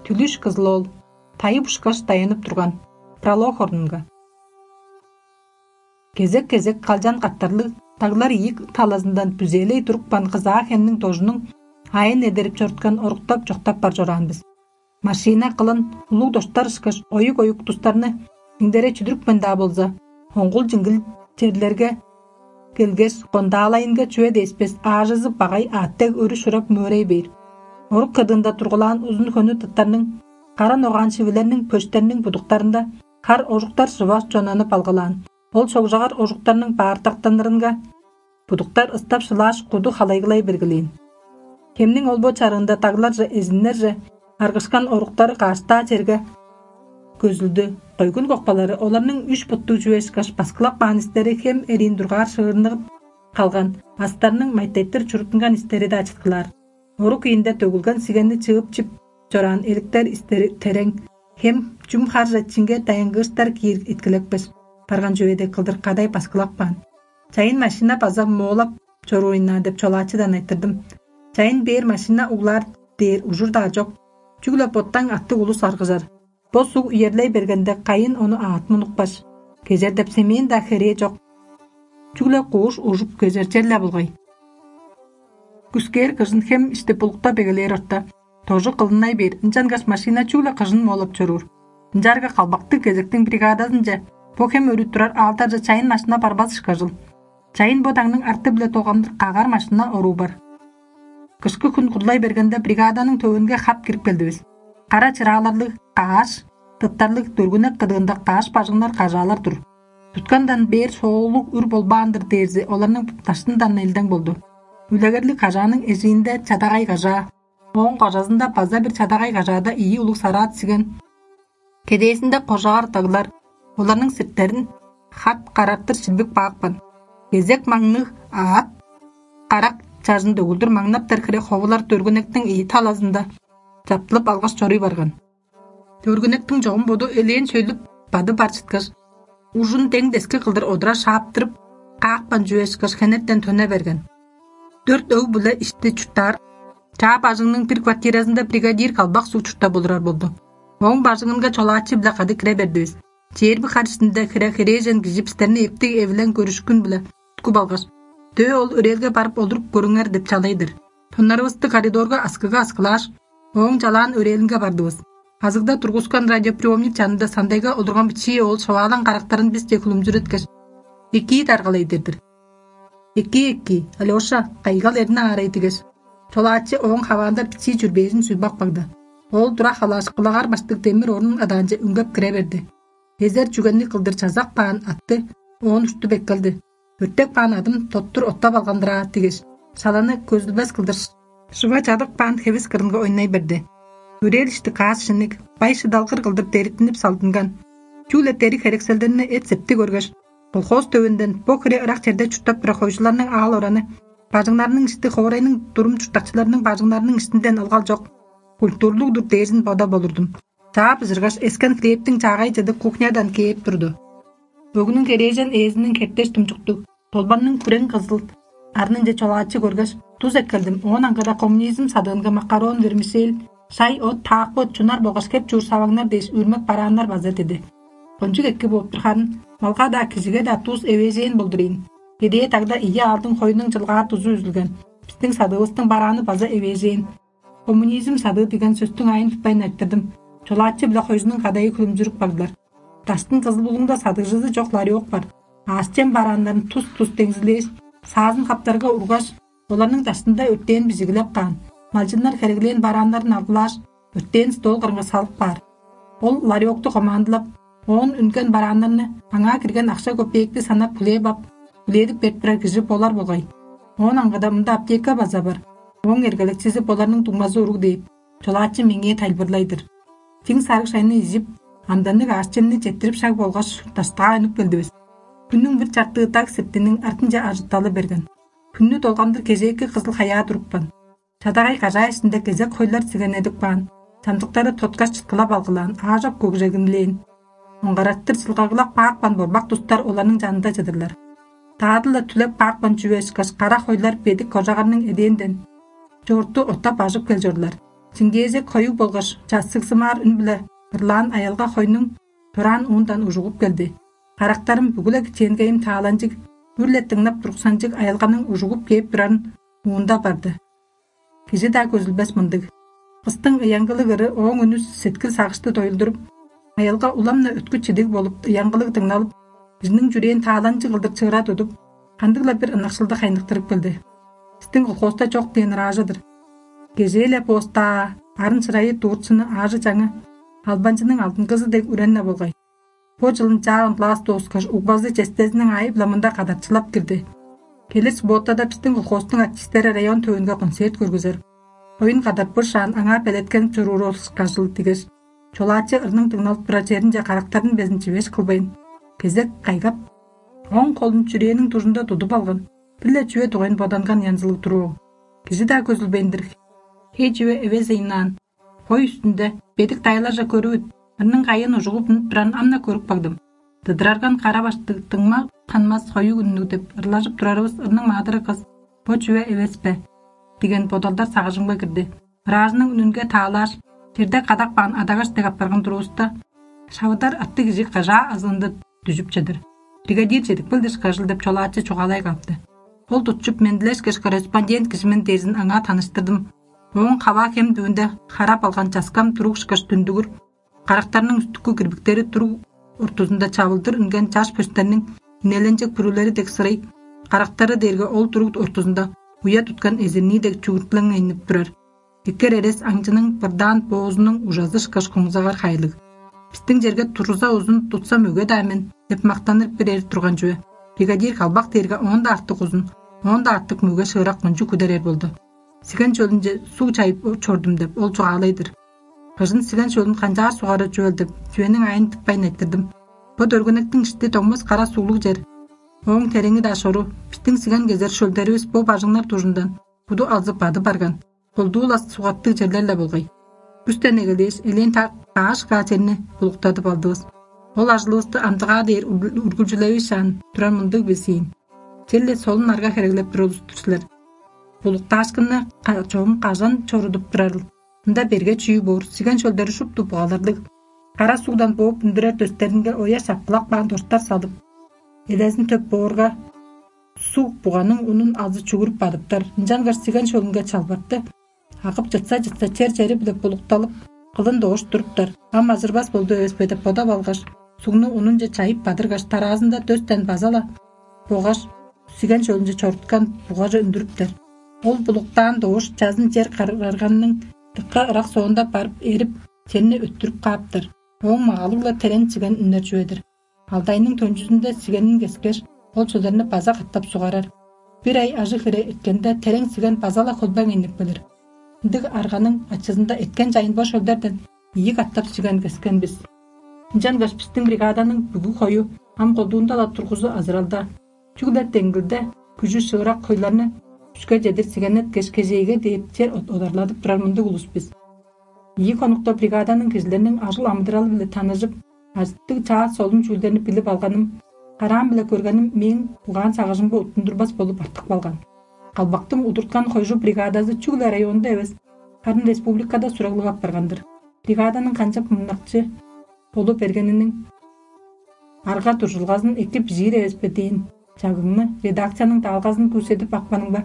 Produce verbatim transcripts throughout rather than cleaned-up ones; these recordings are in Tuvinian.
Түлүш кызыл ол, тайып ушкаш даянып турган пролог орнунга. Кезек-кезек калчан каттарлыг таглар ийик талазындан бүзээлей турупкан кызаа хемниң дожунуң аайын эдерип чоруткан оруктап чоктап бар чораан бис. Машина кылын улуг доштар ышкаш оюк-оюк тустарны сиңдере чүдүрүпкен-даа болза, оңгул-чиңгил черлерге келгеш, кондаалайынга чүве деспес аажызы багай аъттег өрү шурап мөөрей бээр. Орук кыдыында тургулаан узун хөнү тыттарның, кара ногаан шивилерниң, пөштерниң будуктарында хар ожуктар шыва чонанып алгылаан. Ол шогжагар ожуктарның баартактанырынга будуктар ыстап шылааш, куду халайгылай бергилээн. Хемниң ол-бо чарыында дагларже, эзиннерже аргышкан оруктары каштаа черге көзүлдү. Койгун кокпалары оларның үш буттуг чүве ышкаш баскылап каан истери хем эриин дургаар шыырныгып калган, астарның майтеттир чуруттунган истери-даа чыткылаар. Орук иинде төгүлген сигенни чыып-чип чораан эликтер истери терең, хем чүм харже чинге даянгыыштар киир иткилекпес барган чүве дег кылдыр кадай баскылап каан. Чайын машина база моолап чорууруннаа деп чолаачыдан айтырдым. Чайын бээр машина углаар дээр ужур-даа чок. Чүгле боттаң аттыг улус аргыжар. Бо суг үерлей бергенде, кайын ону аът мунукпаш, кезер деп семээн-даа херээ чок. Чүгле кууш ужуп кезер черле болгай. Күскээр кыжын хем ишти булуктап эгелээр орта, дожу кылынай бээр, ынчангаш машина чүгле кыжын моолап чоруур. Ынчаарга калбактыг кезектиң бригадазынче бо хем өрү турар аалдарже чайын машина барбас ышкажыл. Чайын бо дагның арты-биле долгандыр кагар машина оруу бар. Кышкы хүн курлай бергенде, бригаданың төвүнге хап кирип келдивис. Кара чырааларлыг кааш, тыттарлыг дөргүнек кыдыында кааш бажыңнар кажаалар тур. Туткандан бээр соолуг үр болбаан-дыр дээрзи оларның даштындан элдең болду. Үлегерлиг кажааның эжиинде чадагай кажаа, ооң кожазында база бир чадагай кажаада ийи улуг сараат сиген. Кедээзинде кожагар даглар, оларның сирттерин хат карартыр шилбик баапкан. Кезек маңныг аът карак чажын дөгүлдүр маңнаптар хире ховулар дөргүнектиң ийи талазында чаптылып алгаш чоруй барган. Дөргүнектиң чогум боду элээн сөйлүп бады бар чыткаш, ужун дең дески кылдыр одура шааптырып, каапкан чүве ышкаш хенертен төне берген. Дөрт өг-биле ишти чурттаар чаа бажыңның бир квартиразында бригадир калбак суг чурттап олурар болду. Ооң бажыңынга чолаачы-биле кады кире бердивис. Чээрби хар иштинде хире херээжен кижи бистерни эптиг эвилең көрүшкүн-биле туткуп алгаш: «Дөө ол өрээлге барып олуруп көрүңер» — деп чалай-дыр. Тоннарывысты коридорга аскыга аскылааш, ооң чалаан өрээлинге бардывыс. Азыгда тургускан радиоприемник чанында сандайга олурган бичии оол шываалаң карактарын бисче хүлүмзүреткеш: «Экии даргалай» — дер-дир. «Экии, экии, Алёша, кайгал эрни аарай» — дигеш, чолаачы ооң хаваанда бичии чүрбээжин сүгбак багды. Ол тура халааш, кулагар баштыг демир орнун адаанче үнгеп кире берди. Эзер чүгенниг кылдыр чазак баан атты оон уштуп эккелди. «Өртек баан адым тоттур оттап алган-дыр аа» — дигеш, шаланы көзүлбес кылдыр шыва чадык баан хевис кырынга ойнай берди. Өрээл ишти каас шинниг, бай шыдалгыр кылдыр дериттинип салдынган. Чүгле дериг херекселдерни эт-септиг көргеш, колхоз төвүнден бо хире ырак черде чурттап турар хойжуларның аал ораны бажыңнарының ишти хоорайның дурум чурттакчыларының бажыңнарының иштинден ылгал чок, культурлуг-дур дээрзин бодап олурдум. Чаап ызыргаш, эскен хлебтиң чаагай чыды кухнядан кээп турду. Бөгүнүң херээжен ээзиниң хертеш тумчуктуг, долбанның күрең кызыл арнынче чолаачы көргеш, тус эккелдим. Оон аңгыда коммунизм садыынга макарон, вермишель, шай, от, таак бот, чунар болгаш хеп чуур саваңнар дээш үүрмек барааннар база диди. Кончуг эки бооп тур харын, малга-даа, кижиге-даа тус эвээжээн болдур ийин. Эдээ тагда ийи аалдың хоюнуң чылгаар тузу үзүлген. Бистиң садыывыстың барааны база эвээжээн. Коммунизм садыы деген сөстүң аайын тутпайн айтырдым. Чолаачы-биле хойзунуң кадайы хүлүмзүрүп бардылар. Даштын кызыл булуңда садыгжызы чок ларек бар. Аъш-чем барааннарын тус-тус деңзилээш, саазын хаптарга ургаш, оларның даштында өртээн бижигилеп каан. Малчыннар хереглээн барааннарын алгылааш, өртээн стол кырынга салып каар. Ол ларекту командылап, оон үнген барааннарны аңаа кирген акша көпеекти санап, хлеб ап, үледип берип турар кижи болар болгай. Оон аңгыда мында аптека база бар. Ооң эргелекчизи боларның дуңмазы уруг дээп, чолаачы меңээ тайылбырлай-дыр. Чиң сарыг шайны ижип, амданныг аъш-чемни четтирип шаг болгаш, даштыгаа үнүп келдивис. Хүннүң бир чартыы даг септиниң артынче ажытталы берген. Хүннү долгандыр кежээки кызыл хаяа турупкан. Чадагай кажаа иштинде кезек хойлар сигенедип каан, чамдыктары тоткаш чыткылап алгылаан, аажок көгжегинлээн. Оңгараттыр чылгагылап каапкан борбак тустар оларның чанында чыдырлар. Даадыла түлеп каапкан чүве ышкаш кара хойлар бедик кожагарның эдээнден чоорту оттап ажып кел чорлар. Сиңгээзек хоюг болгаш чассыгзымаар үн-биле ырлаан аялга хойнуң дораан уундан ужугуп келди. Карактарым бүгү-ле кичээнгейим тааланчыг, үр-ле дыңнап туруксанчыг аялганың ужугуп кээп турарын уунда барды. Кижи-даа көзүлбес мындыг. Кыстың ыянгылыг ыры ооң үнүс сеткил сагышты доюлдуруп, аялга улам-на өткү чидиг болуп, ыянгылыг дыңналып, кижиниң чүрээн тааланчыг кылдыр чыыра тудуп, кандыг-ла бир ынакшылды хайныктырып келди. Бистиң колхозда чок дээн ыраажы-дыр. Кежээ-ле боостаа, арын-шырайы дууртчуну аажы-чаңы албанчының алдынгызы дег үрен-не болгай. Бо чылын чаа он класс дооскаш, угбазы честезиниң аайы-биле мында кадарчылап кирди. Келир субботада бистиң колхозтуң артистери район төвүнге концерт көргүзер. Оюн кадарып бышаан аңаа белеткенип чоруур ол ышкажыл дигеш, чолаачы ырның дыңналып турар черинче карактарын безин чивеш кылбайн, кезек кайгап, оң холун чүрээниң дужунда тудуп алган, бир-ле чүве дугайын боданган янзылыг туруу. Кижи-даа көзүлбейн-дир. Хей чүве эвес ыйнаан. Хой үстүнде бедик дайларже көрүвүт, ырның кайын ужугуп үнүп турарын ам-на көрүп кагдым. Дыдырарган кара баштыг, дыңма ханмас хоюг үннүг деп ырлажып турарывыс ырның маадыры кыс бо чүве эвес бе? Деген бодалдар сагыжымга кирди. Ыраажының үнүнге таалааш, черде кадап каан адагаш дег апарган турувуста, шавыдар аттыг кижи кажаа азыында дүжүп чыдыр. Бригадир чедип келди ышкажыл деп чолаачы чугаалай каапты. Ол тутчуп, мен дилешкеш корреспондент кижи мен дээрзин аңаа таныштырдым. Ооң хаваа хем дүвүнде харап алган часкам туруг ышкаш дүндүгүр, карактарның үстүккү кирбиктери туруг ортузунда чавылдыр үнген чаш пөстерниң инеленчек бүрүлери дег сырый, карактары дээрге ол туруг ортузунда уя туткан эзирнии дег чүгүртлеңейнип турар. Эккер эрес аңчының бырдаан боозунуң ужазы ышкаш куңзагар хайлыг. Бистиң черге туруза узун тутса мөге-даа мен деп мактаныр бир эр турган чүве. Бригадир калбак дээрге оон-даа артык узун, оон-даа артык мөге шыырак кончуг күдер эр болду. Сиген чөлүнче суг чайып чордум деп ол чугаалай-дыр. Кыжын сиген чөлүн канчаар сугары чүвел деп, чүвениң айын тыппайн айтырдым. Бо дөргүнектиң ишти доңмас кара суглуг чер. Ооң тереңи-даа шору, бистиң сиген кезер шөлдеривис бо бажыңнар дужундан буду алзып бады барган, колдуу-ла сугаттыг черлер-ле болгай. Үстен эгелээш, элээн так кааш каа черни булуктадып алдывыс. Ол ажылывысты амдыгаа дээр үргүлчүлевишаан турар мындыг бис ийин. Черле солун арга хереглеп тур улус-тур силер. Булуктаашкынны чогум кажан чорудуп турарыл? Ында берге чүү боор, сиген шөлдери шупту бугаларлыг. Кара сугдан бооп үндүрер дөстеринге оя шапкылап каан доштар салып, элезин төп боорга, суг буганың унун азы чугуруп бадыптар. Ынчангаш сиген шөлүнге чалбартты. Агып чытса-чытса, чер-чери-биле булукталып, кылын доош туруптар. Ам ажырбас болду эвес бе деп бодап алгаш, сугну унунче чайып бадыргаш, тараазында дөстен база-ла болгаш сиген шөлүнче чоруткан бугаже үндүрүптер. Ол булуктаан доош чазын чер карарганның дыкка ырак соонда барып эрип, черни өттүрүп кааптар. Ооң магалыг-ла терең чиген үннер чүве-дир. Алдайның төнчүзүнде сигенин кескеш, ол чүлерни база катап сугарар. Бир ай ажы-хире эрткенде, терең сиген база-ла хөлбең энип келир. Ындыг арганың ачызында эрткен чайын бо шөлдерден ийи катап сиген кескен бис. Ынчангаш бистиң бригаданың бүгү хою ам колдуунда-ла тургузу азыралда. Чүгле деңгилде күжү шыырак хойларны үске чедир сигеннеткеш, кежээге дээп чер одарлатып турар мындыг улус бис. Ийи хонукта бригаданың кижилерниң ажыл-амыдыралы-биле таныжып, ажыттыг чаа солун чүүлдерни билип алганым, караам-биле көргеним мээң угаан-сагыжымга уттундурбас болуп артып калган. Калбактың удурткан хойжу бригадазы чүгле районда эвес, харын республикада сураглыг апарган-дыр. Бригаданың канчап мынакчы болу бергениниң арга-дуржулгазын эки бижиир эвес бе дээн чагыгны редакцияның даалгазын күүседип апканымга,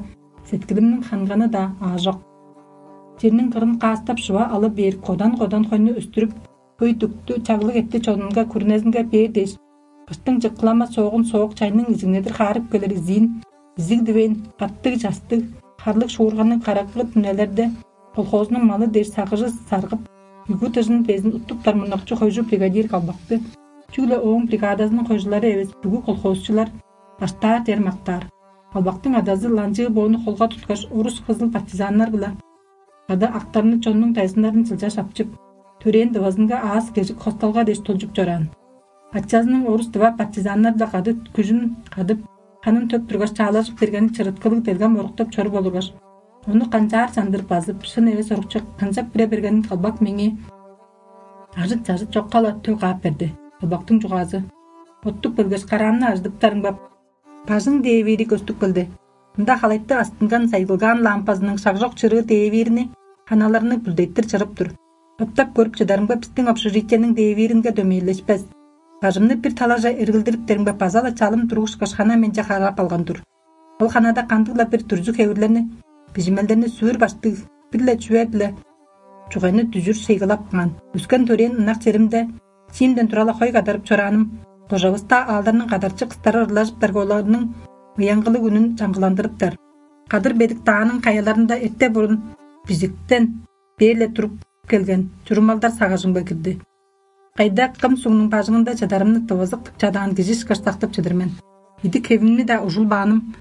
сеткилимниң ханганы-даа аажок. Черниң кырын каастап шыва алы бээр кодан-кодан хойну өстүрүп, хөй дүктү, чаглыг этти чонунга, күрүнезинге бээр дээш, кыштың чыккылама соогун соок чайның изигнедир хаарып келир изиин, изиг дивейн, каттыг частыг, харлыг шуурганныг караккы дүнелерде колхозунуң малы дээш сагыжы саргып, бүгү дыжын безин уттуптар мурнакчы хойжу бригадир калбакты. Чүгле ооң бригадазының хойжулары эвес, бүгү колхозчулар баштаар дер мактаар. Калбактың адазы ланчыы боону холга туткаш, орус кызыл партизаннар-биле кады актарны чоннуң дайзыннарын чылчаш апчып, төрээн дывазынга аас кежик хосталга дээш тулчуп чораан. Ачазының орус-дыва партизаннар-биле кады күжүн кадып, ханын төп тургаш, чаалажып бергени чырыткылыг делгем оруктап чоруп олургаш, ону канчаар чандыр базып, шын эвес орукче канчап кире бергенин калбак меңээ ажыт-чажыт чокка-ла тө каап берди. Калбактың чугаазы: «Оттуп келгеш, караамны ажыдыптарың бап, бажың дээвири көстүп келди. Мында халайты астынган сайгылгаан лампазының шагжок чырыы дээвириниң аналарны бүлдеттир чырып тур. Оптап көрүп чыдарымга, бистиң общежитиениң дээвииринге дөмейлешпес. Бажымны бир талаже эргилдириптеримге, база-ла чалым туруушкаш, хана менче харап алган тур. Ол ханада кандыг-ла бир дүрзү хевирлерни, бижимелдерни сүвүр баштыг бир-ле чүве-биле чугайны дүжүр шыйгылап каан. Өскен төрээн ынак черимде чиимден тура-ла хой кадарып чорааным, кожавыста аалдарның кадарчы кыстары ырлажыптарга, оларның ыяңгылыг үнүн чаңгыландырыптар. Кадыр бедик дааның каяларында эрте бурун бижиктен бээр-ле туруп келген чурумалдар сагыжымга кирди. Кайда кым сугнуң бажыңында чадарымны тывызык тып чадаан кижи ышкаш сактып чыдыр мен. Идик хевимни-даа ужулбааным,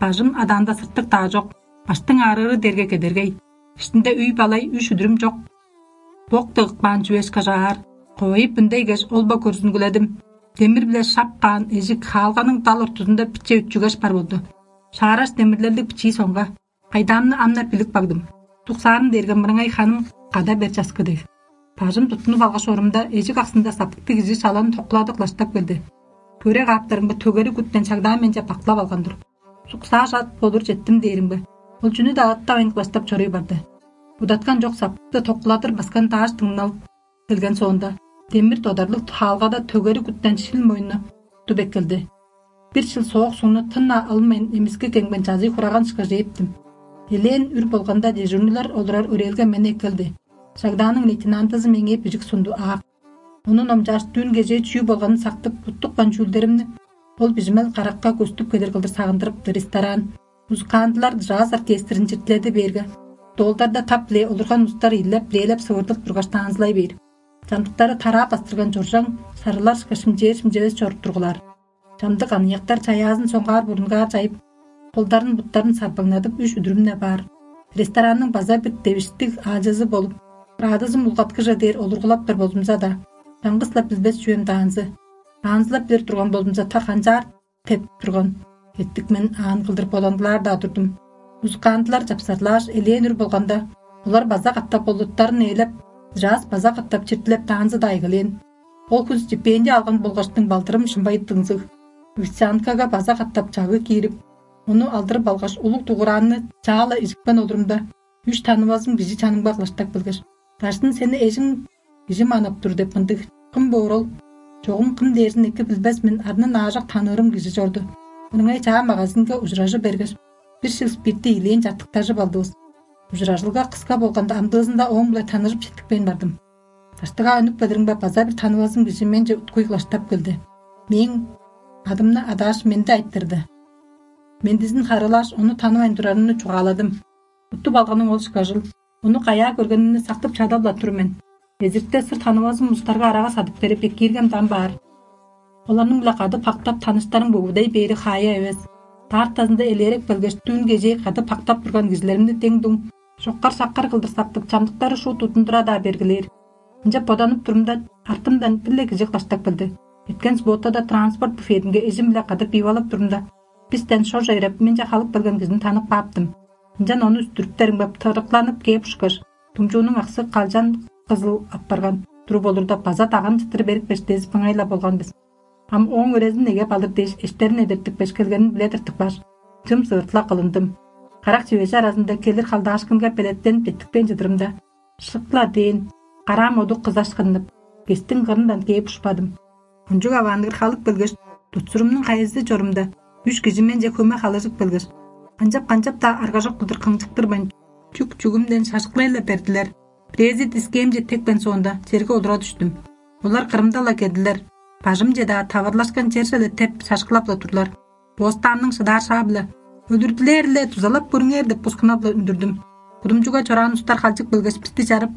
бажым адаанда сыртык-даа чок, баштың аарыыры дерге кедергей, иштинде үй-балай, үш үдүрүм чок. Бок дыгыпкаан чүве ышкаш аар, ковайып ындай кеш ол-ба көрзүнгүледим. Демир-биле шап каан эжик хаалганың дал ортузунда биче үтчүгеш бар болду. Шаараш демирлелдиг бичии соңга, кайдаамны ам-на билип кагдым. Туксаарым дээрге мырыңай ханым када бер часкы дег. Бажым туттунуп алгаш орумда, эжик аксында саптыктыг кижи шаланы токкуладып кылаштап келди. Көре кааптарымга, төгери күттен чагдаан менче баклап алган-дыр. Суксаа шат болур четтим дээримге, ол чүнү-даа ыттавайн кылаштап чоруй барды. Будаткан чок саптыкты токкуладыр баскан дааш дыңнал келген соонда, демир додарлыг хаалгада төгери күттен шил мойну туп эккелди. Бир шыл соок сугну тын-на ылмайн, эмиски кеңбен чазый хураган ышкаш ээптим. Элээн үр болганда, дежурныйлар олурар өрээлге мени эккелди. Шагдааның лейтенантызы меңээ бижик сунду аак. Ону номчааш, дүүн кежээ чүү болганын сактып, уттупкан чүүлдеримни ол бижимел каракка көстүп кедер кылдыр сагындырыпты. Ресторан, музыкантылар джаз оркестрин чиртиледи бээрге, долдарда тап-биле олурган улустар ийлеп, бирээлеп сывырдып тургаш, таанзылай бээр. Чамдыктары тараа бастырган чоржаң сарылар ышкаш шимчээр-шимчевес чоруп тургулаар. Чамдык аныяктар чаяазын соңгаар бурунгаар чайып, холдарын-буттарын сарбаңнадып, үш үдүрүм-не баар. Ресторанның база бир девиштиг аалчызы болуп, радызым улгаткыже дээр олургулаптар болзумза-даа, чаңгыс-ла билбес чүвем даанзы. Аанзылап билир турган болзумза, та канчаар теп турган эттик мен аан кылдыр бодандылаар-даа турдум. Музыкантылар чапсарлааш, элээн үр болганда, олар база катап болуттарын ээлеп, джаз база катап чиртилеп, даанзы-даа эгелээн. Ол хүн стипендия алган болгаштың, балдырым шымбай дыңзыг. Официанткага база катап чагыг киирип, ону алдырып алгаш, улуг дугураанны чаа-ла ижипкен олурумда, үш танывазым кижи чанымга кылаштап келгеш: «Даштын, сени эжиң кижи манап тур» — деп мындыг. Кым боор ол? Чогум кым дээрзин эки билбес мен, арнын аажок таныырым кижи чорду. Ырыңай чаа магазинге ужуражы бергеш, бир шил спиртти ийилээн чартыктажып алдывыс. Ужуражылга кыска болганда, амдыызында ооң-биле таныжып четтикпейн бардым. Даштыгаа үнүп келиримге, база бир танывазым кижи менче уткуй кылаштап келди. Мээң адымны адааш, менди айтырды. Мендизин харыылааш, ону танывайн турарымны чугааладым. Уттуп алганым ол ышкажыл. Ону каяа көргенимни сактып чадап-ла тур мен. Эзиртте сыр танывазым улустарга арага садып берип, экииргем дам баар. Оларның-биле кады пактап таныштарың бөгүдей бээри хаая эвес. Даартазында элээреп келгеш, дүүн кежээ кады пактап турган кижилеримни дең-дуң чоккар-шаккар кылдыр сактып, чамдыктары шуут удундура-даа бергилээр. Ынчап боданып турумда, артымдан бир-ле кижи кылаштап келди. Эрткен субботада транспорт буфетинге эжим-биле кады пивалап турумда, бистен шорже эреп, менче халып келген кижини танып кааптым. Ынчан ону үстүрүптеримге, тырыктанып кээп ушкаш, думчуунуң аксы калчан кызыл апарган туруп олурда, база даган чыттыр берипкеш, дезип ыңай-ла болган бис. Ам ооң өрезин негеп алыр дээш, эштерин эдертипкеш, келгенин биле тыртыпкаш, чым сывыртыла кылындым. Карак чивежи аразында келир халдаашкынга белеттенип четтикпейн чыдырымда, шык-ла дээн, караам одук кызашкыннып, кестиң кырындан кээп ушпадым. Кончуг аваанныгыр халып келгеш, тутсурумнуң кайызы чорумда, үш кижи менче хөме халыжып келгеш, канчап-канчап-даа аргажок кылдыр кыңчыктырбайн, чүк-чүгүмден шажыклай-ла бердилер. Бирээзи дискээмче тепкен соонда, черге олура дүштүм. Олар кырымда-ла келдилер. Бажымче-даа таварлашкан черже-ле теп, шажыклап-ла турлар. Бостаанның шыдаар шаа-биле: «Өлүрдүлээр-ле, дузалап көрүңер» — деп бускунап-ла үндүрдүм. Кудумчуга чораан улустар халчып келгеш, бисти чарып,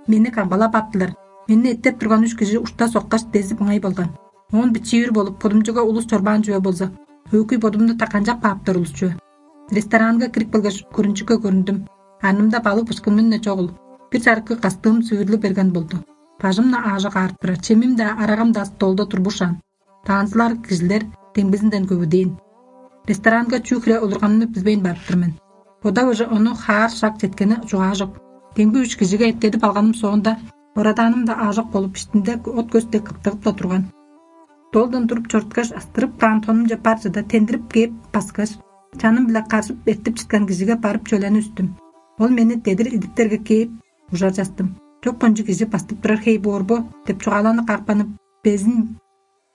мени камгалап аптылар. Мени эттеп турган үш кижи ушта соккаш, дезип ыңай болган. Оон бичии үр болуп, кудумчуга улус чорбаан чүве болза, өөгүй бодумну-даа канчап кааптар улус чүве. Ресторанга кирип келгеш, көрүнчүкке көрүндүм. Арнымда балык бышкынмын-не чогул, бир чарыккы кастыым сүвүрлү берген болду. Бажым-на аажок аарып турар, чемим-даа, арагам-даа столда турбушаан. Таанзылар кижилер демгизинден көвүдээн. Ресторанга чүү хире олурганымны билбейн барып тур мен. Бодавыже ону хаар шак четкени чугаажок. Демги үш кижиге эттедип алганым соонда, борадааным-даа аажок болуп, иштинде от көстей кыптыгып-ла турган. Долдан туруп чоруткаш, астырып каан тонумче бар чыда тендирип кээп баскаш, чаным-биле каржып эртип чыткан кижиге барып чөлени үстүм. Ол мени дедир идиктерге кээп, ужар частым. «Чок кончуг кижи бастып турар хей боор бо?» — деп чугааланы каапканып, безин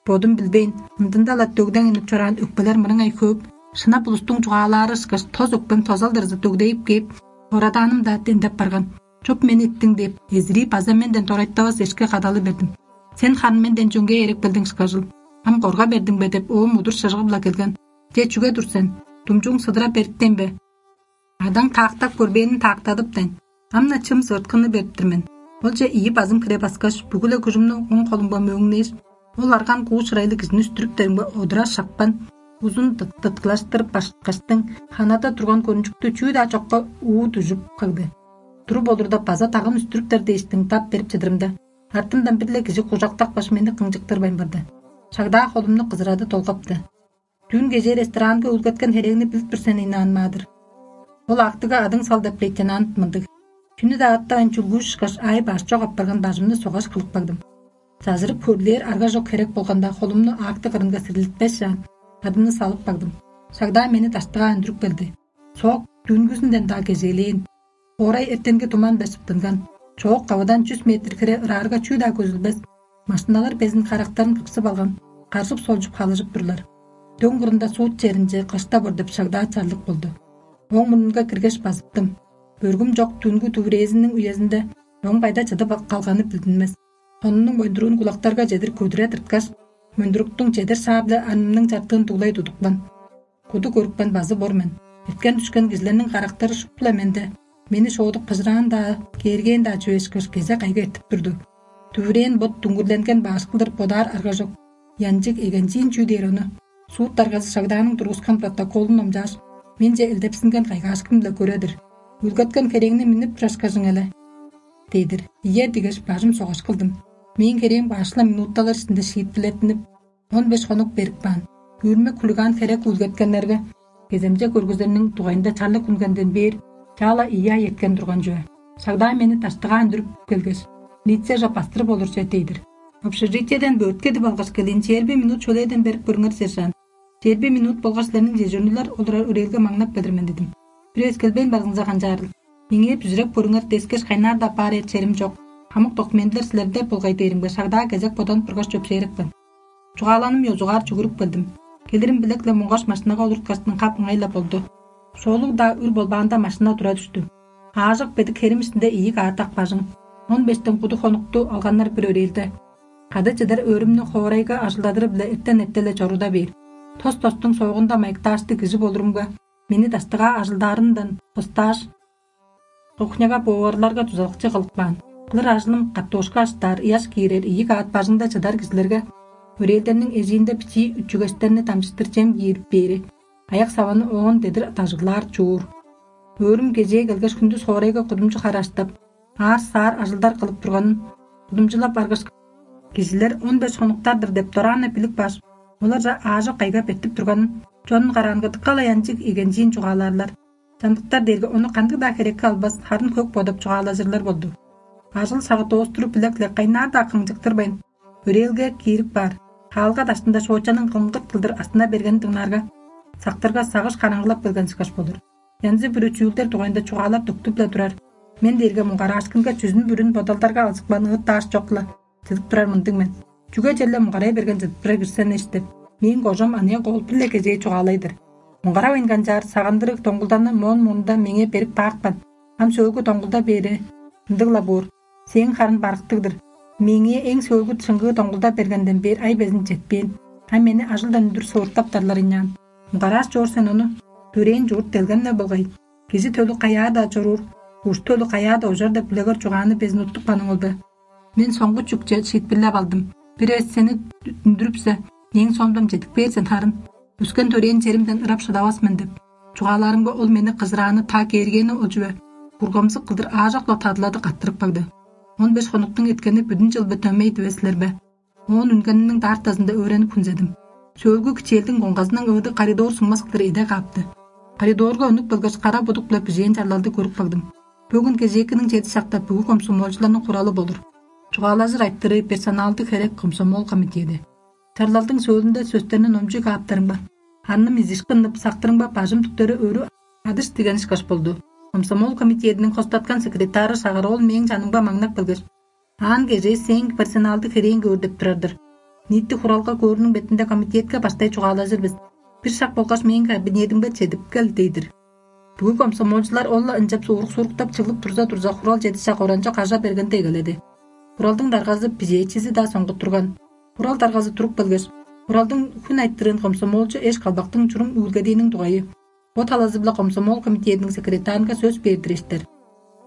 бодум билбейн, ындында-ла дөгдең үнүп чораан өкпелер мырыңай хөөп, шынап улустуң чугаалаары ышкаш тос өкпем тозалдырзы дөгдейип кээп, орадааным-даа дендеп барган. «Чоп мени иттиң» — деп, эзирий база менден дорайтавас эшке кадалы бердим. «Сен харын менден чөңге эрек билдиң ышкажыл. Ам корга бердиң бе?» — деп, оом удур шыжыгы-биле келген. «Че, чүге тур сен? Думчууң сыдыра бериптен бе? Адаң таактап көрбээнин таактадыптайн. Ам-на чым сывырткынны берип-тир мен. Олче ийи базым хире баскаш, бүгү-ле күжүмнү оң холумга мөөңнээш, ол арган куу шырайлыг кижини үстүрүптеримге одура шапкан, узун дыт-, дыткылаштырып башкаштың, ханада турган көрүнчүктү чүү-даа чокка уу дүжүп кагды. Туруп олурда база дагын үстүрүптер дээштиң дап берип чыдырымда, артымдан бир-ле кижи кужактапкаш, мени кыңчыктырбайн барды. Шагдаа холумну кызырады долгапты. Дүүн кежээ ресторанга үүлгеткен херээңни билип тур сен, Инан Маадыр. Ол актыга адың сал деп лейтенант мындыг. Чүнү-даа аттавайн чүлгүүш ышкаш, аай баш чок апарган бажымны согаш кылып кагдым. Зазырып хөрлээр арга чок херек болганда, холумну акты кырынга сирлитпес чаан, адымны салып кагдым. Шагдаа мени даштыгаа үндүрүп келди. Соок дүүнгүзүнден-даа кежээлээн. Хоорай эртенги туман-биле шыптынган. Чоок кавыдан чүс метр хире ыраарга чүү-даа көзүлбес. Машиналар безин карактарын кыксып алган, каржып-солчуп халыжып турлар. Дөң кырында суут черинче кыштап ордуп, Шагдаа чарлык болду. Ооң мурнунга киргеш, базыптым. Бөргүм чок дүнгү дүвүрээзиниң үезинде чоң байда чыдып калганы билдинмес. Сонунуң мөндүрүүн кулактарга чедир көдүре тырткаш, мөндүрүктүң чедир шаа-биле анымның чартыын дуглай тудупкан. Куду көрүпкен базы бор мен. Эрткен-дүшкен кижилерниң карактары шупту-ла менде. Мени шоодук кыжыраан-даа, кээргээн-даа чүве ышкаш, кезек кайгы эртип турду. Дүвүрээн бот дүңгүрленген баш кылдыр бодаар арга чок. Янчыг эгенчиин чүү дээр ону? Суут даргазы Шагдааның тургускан протоколун номчааш, менче элдепсинген кайгаашкын-биле көөр-дүр. «Үүлгеткен херээңни миннип турашкажың але» — дээдир. «Ийе» — дигеш, бажым согаш кылдым. Мээң херээм башла минутталар иштинде шиитпирлеттинип, он беш хонук берип каан. Үүрмек хулиган херек үүлгеткеннерге кеземче көргүзерниң дугайында чарлык үнгенден бээр чаа-ла ийи ай эрткен турган чүве. Шагдаа мени даштыгаа үндүрүп келгеш, «Лицеже бастырып олурже» — дээдир. «Общежитиеден бөрткедип алгаш келиин, чээрби минут шөлээден берип көрүңер, сержант. Чээрби минут болгаш силерниң чежурнилар олурар өрээлге маңнап келир мен» — дидим. «Бир эвес келбейн барзыңза канчаарыл? Меңээ бүзүреп көрүңер, дескеш, кайнаар-даа баар эр черим чок. Хамык документилер силерде болгай» — дээримге, Шагдаа кезек боданып тургаш, чөпшээрепкен. Чугааланым ёзугаар чүгүрүп келдим. Келирим билек-ле муңгаш машинага олурткаштың, кап ыңай-ла болду. Шоолуг-даа үр болбаанда, машина тура дүштү. Аажок бедик херим иштинде ийи каатак бажың, он бештен куду хонукту алганнар бир өрээлде. Кады чыдар өөрүмнү хоорайга ажылдадыры-биле эртен эрте-ле чоруда бээр. Тос-тостуң соогунда майыктаашты кижи болурумга, мени даштыгаа ажылдаарындан кыстааш, кухняга, поварларга дузалакчы кылып каан. Кылыр ажылым картошка аштаар, ыяш киирер, ийи каат бажыңда чыдар кижилерге өрээлдерниң эжиинде бичии үчүгештерни дамчыштыр чем киирип бээри, аяк саваны оон дедир дажыглаар чуур. Өөрүм кежээ келгеш, хүндүс хоорайга кудумчу хараштап, аар-саар ажылдар кылып турганын кудумчулап аргаш, кижилер он беш хонуктар-дыр деп дораан-на билип кааш, оларже аажок кайгап эртип турганын, чонун караанга дыка-ла янчыг эгенчиин чугаалаарлар. Чамдыктар дээрге ону кандыг-даа херекке албас, харын хөк бодап чугаалажырлар болду. Ажыл-сагыт доостуруп, билек-ле кайнаар-даа кыңчыктырбайн, өрээлге киирип каар. Хаалга даштында шоочаның кыңгырт кылдыр астына бергенин дыңнаарга, сактырга сагыш караңгылап келген ышкаш болур. Янзы-бүрү чүүлдер дугайында чугаалар төктүп-ле турар. Мен дээрге муңгараашкынга чүзүн-бүрүн бодалдарга алзыпкан ыыт-даш чок-ла чыдып турар мындыг мен. Чүге черле муңгарай берген чыдып турар кижи сен эш деп, мээң кожам аныяк оол бир-ле кежээ чугаалай-дыр. Муңгаравайн канчаар, сагындырыг доңгулданы моон мурнунда меңээ берип каапкан. Ам сөөлгү доңгулда бээри ындыг-ла боор. Сээң харын барыктыг-дыр. Меңээ эң сөөлгү шыңгыы доңгулда бергенден бээр ай безин четпээн. Ам мени ажылдан үндүр сывыртаптарлар ыйнаан. Муңгарааш чоор сен ону. Төрээн чурт делгем-не болгай. Кижи төлү каяа-даа чоруур, уш төлү каяа-даа ужар деп билегер чугааны безин уттупканың ол бе? Мен соңгу чүкче шиитпирлеп алдым. Бир эвес сени үндүрүпсе, мээң соомдан чедип кээр сен харын. Өскен-төрээн черимден ырап шыдавас мен деп. Чугаалаарымга, ол мени кызырааны та кээргээни ол чүве. Бургамзык кылдыр аажок-ла тадылады каттырып кагды. Он беш хонуктуң эрткени бүдүн чыл бе, дөмей дивес силер бе? Оон үнгениниң даартазында өөренип хүнзедим. Сөөлгү кичээлдиң коңгазының өөдү коридор суңмас кылдыр эде каапты. Коридорга үнүп келгеш, кара будук-биле бижээн чарлалды көрүп кагдым. Бөгүн кежээкиниң чеди шакта бүгү комсомолчуларның хуралы болур. Чугаалажыр айтырыы персоналдыг херек комсомол комитеди. Чарлалдың сөөлүнде сөстерни номчуй кааптарымга, ханным изишкиннип, сактырымга бажым түктери өрү адыш диген ышкаш болду. Комсомол комитетиниң хостаткан секретары Шагароол мээң чанымга маңнап келгеш: «Аан кежээ сээң персоналдыг херээн көөр деп турар-дыр. Ниити хуралга көөрүнүң бетинде комитетке баштай чугаалажыр бис. Бир шак болгаш мээң кабинетимге чедип кел» — дейдир. Бүгү комсомолчулар ол-ла ынчап суурук-сууруктап чыглып турза-турза, хурал чедише коранчок кажа бергенде эгеледи. Хуралдың даргазы бижээчизи-даа соңгуттурган. Хурал даргазы туруп келгеш, хуралдың хүн айтырыын комсомолчу эш калбактың чурум үүлгедииниң дугайы, бо талазы-биле комсомол комитетиниң секретарынга сөс бээр-дир эштер.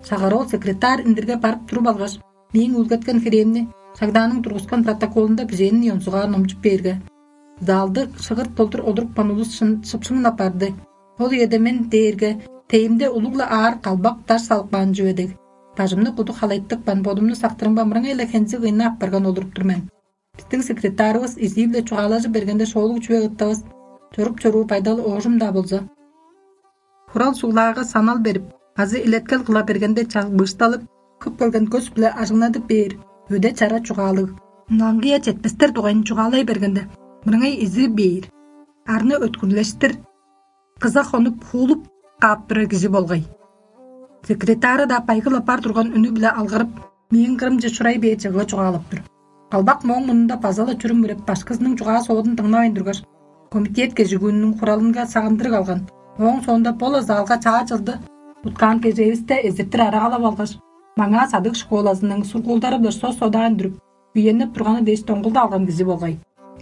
Шагароол секретарь индирге барып туруп алгаш, мээң үүлгеткен херээмни, Шагдааның тургускан протоколунда бижээнин ёнзугаар номчуп бээрге, залды шыгырт болдур одурупкан улус шын шыпшыңнап барды. Ол үеде мен дээрге тейимде улуг-ла аар калбак даш салып каан чүве дег, бажымны куду халайтыпкан, бодумну сактырымга мырыңай-ла хензи кыйнап апарган олуруп тур мен. Бистиң секретарывыс изии-биле чугаалажып бергенде, шоолуг чүве ыттавыс, чоруп-чоруур байдалы оожум-даа болза, хурал суглаага санал берип азы илеткел кыла бергенде, чагбыышталып, кып келген көс-биле ажыңнадып бээр, өде-чара чугаалыг. Ынаңгыя четпестер дугайын чугаалай бергенде, мырыңай изири бээр, арны өткүрлештир, кыза хонуп, хуулуп каап турар кижи болгай. Секретары-даа байгыл апаар турган үнү-биле алгырып, мээң кырымче чурай бээр чыгыы чугаалап тур. Калбак мооң мурнунда база-ла чүрүм үреп, башкызының чугаа-соодун дыңнавайн тургаш, комитет кежигүүнүнүң хуралынга сагындырыг алган. Ооң соонда бо-ла залга чаа чылды уткаан кежээвисте эзиртир арагалап алгаш, маңаа садык школазының сургуулдары-биле сос-содаан дүрүп, үенип турганы дээш доңгулда алган кижи болгай.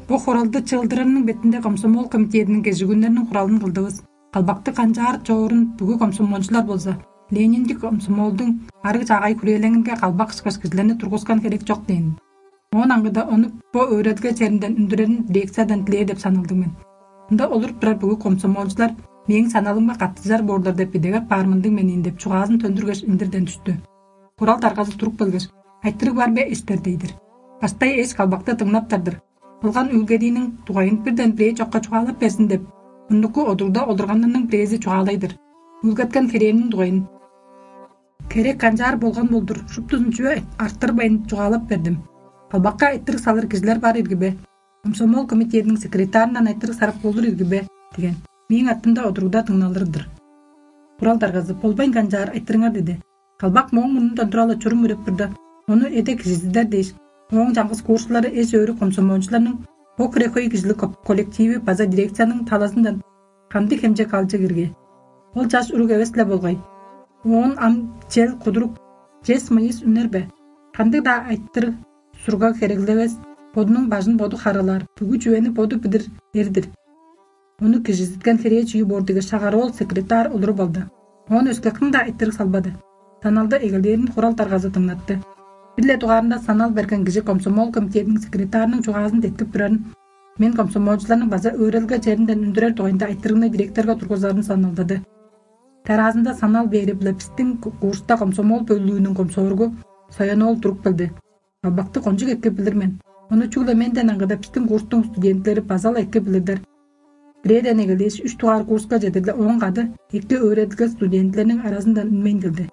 Бо хуралды чыылдырарының бетинде комсомол комитетиниң кежигүннериниң хуралын кылдывыс. Калбакты канчаар чоорун бүгү комсомолчулар болза, Лениндик комсомолдуң арыг чаагай хүрээлеңинге калбак ышкаш кижилерни тургускан херек чок дээн. Оон аңгыда ону бо өөредилге черинден үндүрерин дирекциядан дилээр деп саналдыг мен. Ында олуруп турар бүгү комсомолчулар мээң саналымга каттыжар боорлар деп идегеп баар мындыг мен ийин деп чугаазын төндүргеш, индирден түштү. Хурал даргазы туруп келгеш: «Айтырыг бар бе, эштер?» — дейдир. Баштай эш калбакты дыңнаптар-дыр. Кылган үүлгедииниң дугайын бирден бирээ чокка чугаалап берзин деп, мурнуку одурда олурганнарның бирээзи чугаалай-дыр. Үүлгеткен херээмниң дугайын. Херек канчаар болган болдур, шуптузун чүве арттырбайн чугаалап бердим. «Калбакка айтырыг салыр кижилер бар ирги бе? Комсомол комитетиниң секретарындан айтырыг сарып болур ирги бе?» — деген. Мээң артымда одуруда дыңналыр-дыр. Хурал даргазы: «Болбайн канчаар, айтырыңар», — деди. Калбак мооң мурнундан тура-ла чурум үреп турда, ону эде кижизидер дээш, ооң чаңгыс курсчулары эш-өөрү комсомолчуларның бо хире хөй кижилиг ко-, коллективи база дирекцияның талазындан кандыг хемчег алчы кирге? Ол чаш уруг эвес-ле болгай. Оон ам чел кудурук, чес-мыйыс үнер бе? Кандыг-даа айтырыг-сургаг хереглевес, бодунуң бажын боду харыылаар, бүгү чүвени боду билир эр-дир. Ону кижизиткен херээ чүү боор дигеш, Шагароол секретарь олуруп алды. Оон өске кым-даа айтырыг салбады. Саналды эгелээрин хурал даргазы дыңнатты. Бир-ле дугаарында санал берген кижи комсомол комитетиниң секретарының чугаазын деткип турарын, мен комсомолчуларның база өөредилге черинден үндүрер дугайында айтырыгны директорга тургузарын саналдады. Дараазында санал бээри-биле бистиң ку-, курста комсомол бөлүүнүң комсоргу Соян-оол туруп келди. Калбакты кончуг эки билир мен. Ону чүгле менден аңгыда бистиң курстуң студентилери база-ла эки билирлер. Бирээден эгелээш, үш дугаар курска чедир-ле ооң кады эки өөредилге студентилерниң аразындан үнмейн келди.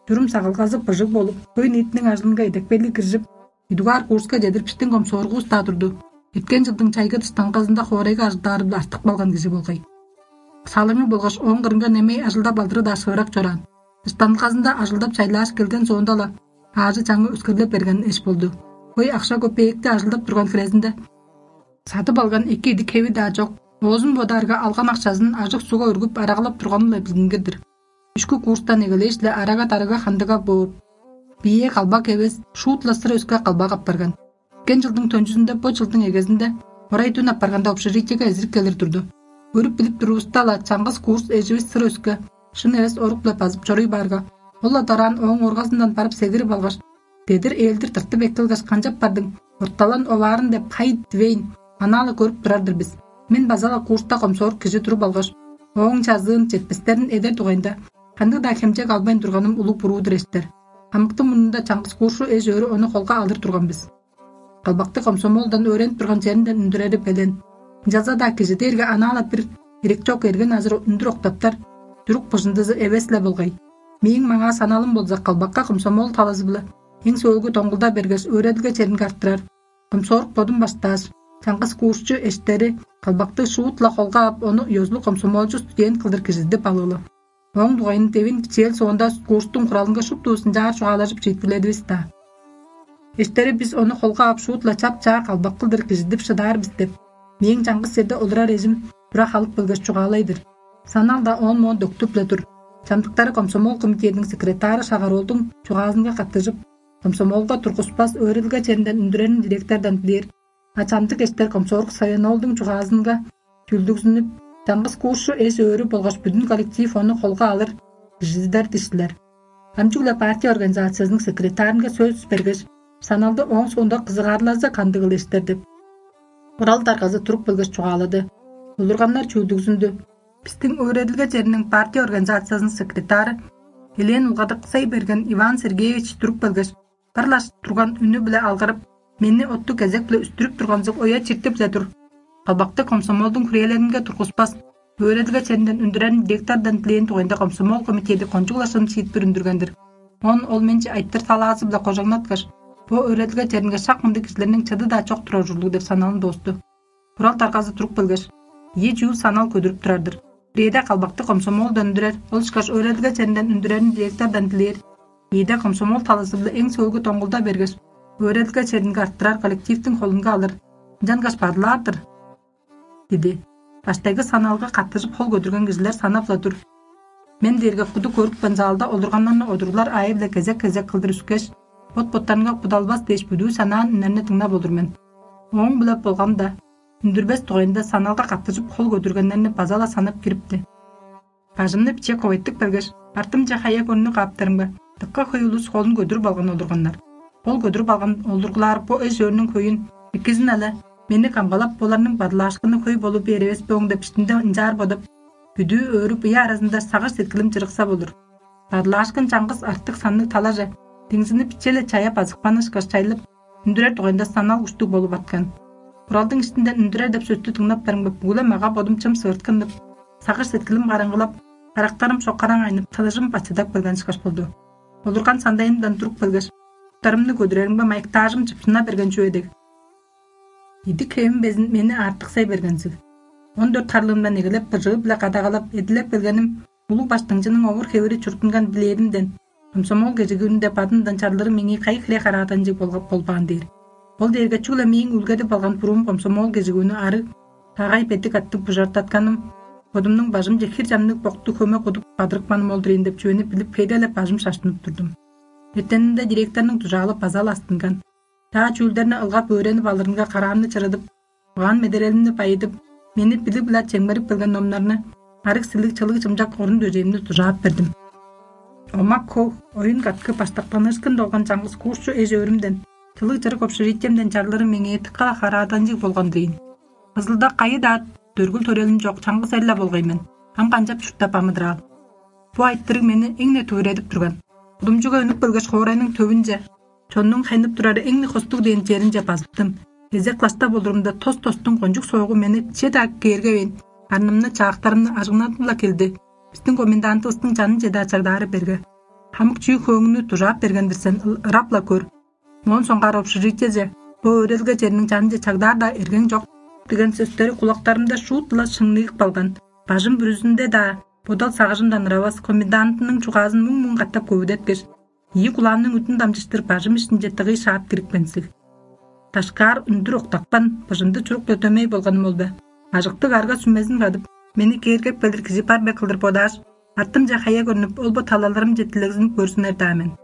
Чурум сагылгазы быжыг болуп, хөй-ниитиниң ажылынга идепкейлиг киржип, ийи дугаар курска чедир бистиң комсоргувус-даа турду. Эрткен чылдың чайгы дыштанказында хоорайга ажылдаары-биле артып калган кижи болгай. Салыңы болгаш ооң кырынга немей ажылдап алдыры-даа шыырак чораан. Дыштанказында ажылдап чайлааш келген соонда-ла аажы-чаңы өскерлеп берген эш болду. Хөй акша-көпеекти ажылдап турган хирезинде садып алган эки идик-хеви-даа чок. Оозун бодаарга, алган акшазын ажык-сугга өргүп, арагалап турганы-ла билдингир-дир. Үшкү курстан эгелээш-ле арага-дарыга хандыга боор. Бие калбак эвес, шуут-ла сыр өске калбак апарган. Эрткен чылдың төнчүзүнде, бо чылдың эгезинде орай дүн апарганда общежитиеге эзирип келир турду. Көрүп-билип турувуста-ла, чаңгыс курс эживис сыр өске, шын эвес орук-биле базып чоруй баарга, ол-ла дораан ооң оргазындан барып сегирип алгаш, дедир ээлдир тыртып эккелгеш: «Канчап бардың? Орталан оваарын» — деп хай дивейн, анаа-ла көрүп турар-дыр бис. Мен база-ла курста комсорг кижи туруп алгаш, ооң чазыын, четпестерин эдер дугайында кандыг-даа хемчег албайн турганым улуг буруу-дур эштер. Хамыктың мурнунда чаңгыс курсчу эш-өөрү ону холга алыр турган бис. Калбакты комсомолдан өөренип турган черинден үндүрери белен. Ынчалза-даа кижи дээрге анаа-ла бир ирек чок эргин азыр үндүр октаптар, чурук быжындызы эвес-ле болгай. Мээң маңаа саналым болза, калбакка комсомол талазы-биле эң сөөлгү доңгулда бергеш, өөредилге черинге арттырар. Комсорг бодум баштааш, чаңгыс курсчу эштери калбакты шуут-ла холга ап, ону ёзулуг комсомолчу студент кылдыр кижизидип алыылы. Ооң дугайын девин бичээл соонда курстуң хуралынга шуптувус ынчаар чугаалажып шиитпирледивис-даа. Эштери бис ону холга ап шуут-ла чап-чаа калбак кылдыр кижидип шыдаар бис деп, мээң чаңгыс черде олурар эжим тура халып келгеш чугаалай-дыр. Санал-даа оон-моон дөктүп-ле тур. Чамдыктары комсомол комитетиниң секретары Шагароолдуң чугаазынга каттыжып, комсомолга тургуспас өөредилге черинден үндүрерин директордан дилээр. А чамдык эштер комсорг Саяноолдуң чугаазынга чүлдүгзүнүп, чаңгыс курсчу эш-өөрү болгаш бүдүн коллектив ону холга алыр, кижизидер диштилер. Ам чүгле партия организациязының секретарынга сөс бергеш, Саналды ооң соонда кызыгаарлазы кандыгыл эштер деп. Урал даргазы туруп келгеш чугаалады. Улурганнар чүүлдүгзүндү. Бистиң өөредилге чериниң партия организациязының секретары Елена Улгадыксай берген Иван Сергеевич туруп келгеш, бырлаш турган үнү-биле алгырып, мени оттуг кезек-биле үстүрүп турганзыг оя чиртип-ле тур. Калбакты комсомолдуң хүрээлеринге тургуспас, өөредилге черинден үндүрерин директордан дилээн дугайында комсомол комитети кончуг-ла шын шиитпир үндүрген-дир. Оон ол менче айтыр талаазы-биле кожаңнаткаш, бо өөредилге черинге шак мындыг кижилерниң чыды-даа чок турар ужурлуг деп саналын доосту. Бурал даргазы туруп келгеш, ийи чүүл санал көдүрүп турар-дыр. Бирээде калбакты комсомолдан үндүрер, ол ышкаш өөредилге черинден үндүрерин директордан дилээр. Ийиде комсомол талазы-биле эң сөөлгү доңгулда бергеш, өөредилге черинге арттырар коллективтиң холунга алыр. Ынчангаш бадылаар-дыр, диди. Баштайгы саналга каттыжып хол көдүрген кижилер санап-ла тур. Мен дээрге куду көрүпкен залда олурганнарны одуруглар аайы-биле кезек-кезек кылдыр үскеш, бот-боттарынга кудалбас дээш бүдүү санаан үннерни дыңнап олур мен. Ооң-биле болганда, үндүрбес дугайында саналга каттыжып хол көдүргеннерни база-ла санап кирипти. Бажымны биче ковайтып келгеш, бартымче хая көрнү кааптарымга, дыка хөй улус холун көдүрүп алган олурганнар. Ол көдүрүп алган олургулаар бо эш-өөрүнүң хөйүн экизин ала, мени камгалап, оларның бадылаашкыны хөй болуп бээр эвес бооң деп иштимде ынчаар бодап, бүдүү өөрүп, ыя аразында сагыш сеткилим чырыкса болур. Бадылаашкын чаңгыс артык санныг талаже, деңзини биче-ле чая базыкпанышкаш чайлып, үндүрер дугайында санал куштуг болуп арткан. Буралдың иштинден үндүрер деп сөстү дыңнап барымга, бүгүле мага бодум чым сыырткыннып, сагыш сеткилим караңгылап, карактарым шоккараң айнып, тылыжым бачыдап келген ышкаш болду. Олурган сандайымдан туруп келгеш, уттарымны көдүреримге, майыктаажым чыпшына берген чүве дег. Идик хевим безин мени артыксай бергензиг. Он дөрт харлыымдан эгелеп быжыы-биле кадагалап, эдилеп келгеним улуг баштыңчының овур-хевири чурттунган билээримден, комсомол кежигүүнүнде бадындан чарлыры меңээ кайы хире харааданчыг болгап болбаан дээр. Ол дээрге чүгле мээң үүлгедип алган буруум комсомол кежигүүнү арыг, тагай бедик аттыг бужардатканым, бодумнуң бажымче хир чамныг боктуг хөме кудуп бадырыпканым ол-дур ийин деп чүвени билип, хейделеп бажым шаштынып турдум. Эртенинде директорнуң дужаалы база-ла астынган. Чаа чүүлдерни ылгап өөренип алырынга караамны чырыдып, угаан-медерелимни байыдып, мени билиг-биле чемгерип келген номнарны, арыг-силиг, чылыг-чымчак орун-дөжээмни дужаап бердим. Омак-хог, оюн-каткы, баштактаныышкын долган чаңгыс курсчу эш-өөрүмден, чылыг-чырык общежитиемден чарлыры меңээ дыка-ла харааданчыг болган-дыр ийин. Кызылда кайы-даа дөргүл-төрелим чок чаңгыс эр-ле болгай мен. Ам канчап чурттап амыдыраал? Бо айтырыг мени эң-не дүвүредип турган. Кудумчуга үнүп келгеш, хоорайның төвүнче, чоннуң хайнып турары эң-не хостуг дээн черинче базыптым. Кезек класста болурумда тос-тостуң кончуг соогу мени че-даа кээргевейн, арнымны, чаактарымны ажыңнадып-ла келди. Бистиң комендантывыстың чанынче-даа чагдаары берге. Хамык чүү-хөөңнү дужаап берген-дир сен, ыл-, ырап-ла көр. Моон соңгаар общежитиеже, бо өөредилге чериниң чанынче чагдаар-даа эргең чок деген сөстери кулактарымда шуут-ла шыңныып калган. Бажым бүрүзүнде-даа бодал-сагыжымдан ыравас, комендантының чугаазын муң-муң катап көвүдеткеш, ийи кулаамның үдүн дамчыштыр бажым иштинче дыгый шаап кирипкензиг. Дашкаар үндүр октапкан, быжынды чурук-дөмей болганым ол бе? Ажыктыг арга-сүмезин кадып, мени кээргеп келир кижи бар бе кылдыр бодааш, артымче хая көрнүп, ол-бо талаларымче дилегзинип көрзүнер-даа мен.